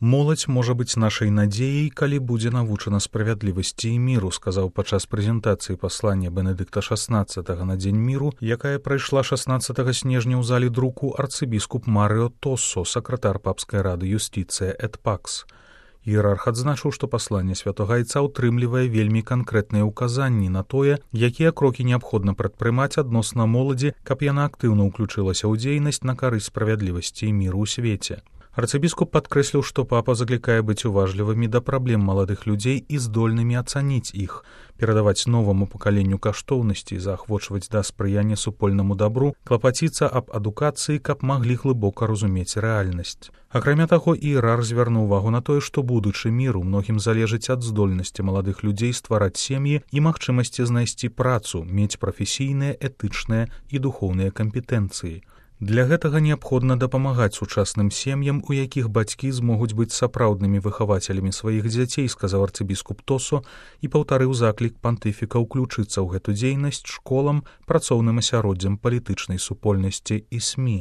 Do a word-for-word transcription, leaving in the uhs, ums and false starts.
Моладзь можа быць нашай надзеяй, калі будзе навучана справядлівасці і міру, сказаў падчас прэзентацыі паслання Бенедыкта шаснаццатага на дзень міру, якая прайшла шаснаццатага снежня ў залі друку арцыбіскуп Марыо Тоссо, сакратар папскай рады юстыцыя эт пакс. Іерарх адзначыў, што пасланне святога айца ўтрымлівае вельмі канкрэтныя ўказанні на тое, якія крокі неабходна прадпрымаць адносна моладзі, каб яна актыўна ўключылася ў дзейнасць на карысць справядлівасці і міру ў свеце. Арцыбіскуп падкрэсліў, што папа заклікае быць уважлівымі да праблем маладых людзей і здольнымі ацаніць іх, перадаваць новаму пакаленню каштоўнасці, заахвочваць да спрыяння супольнаму дабру, клапаціцца аб адукацыі, каб маглі глыбока разумець рэальнасць. Акрамя таго, іерарх звярнуў увагу на тое, што будучы міру многім залежыць ад здольнасці маладых людзей ствараць сем'і і магчымасці знайсці працу, мець прафесійныя, этычныя і духоўныя кампетэнцыі. Для гэтага неабходна дапамагаць сучасным сем'ям, у якіх бацькі змогуць быць сапраўднымі выхавацелямі сваіх дзяцей, сказаў арцыбіскуп Тоссо і паўтарыў заклік пантыфіка ўключыцца ў гэту дзейнасць школам, працоўным асяроддзям палітычнай супольнасці і эс эм і.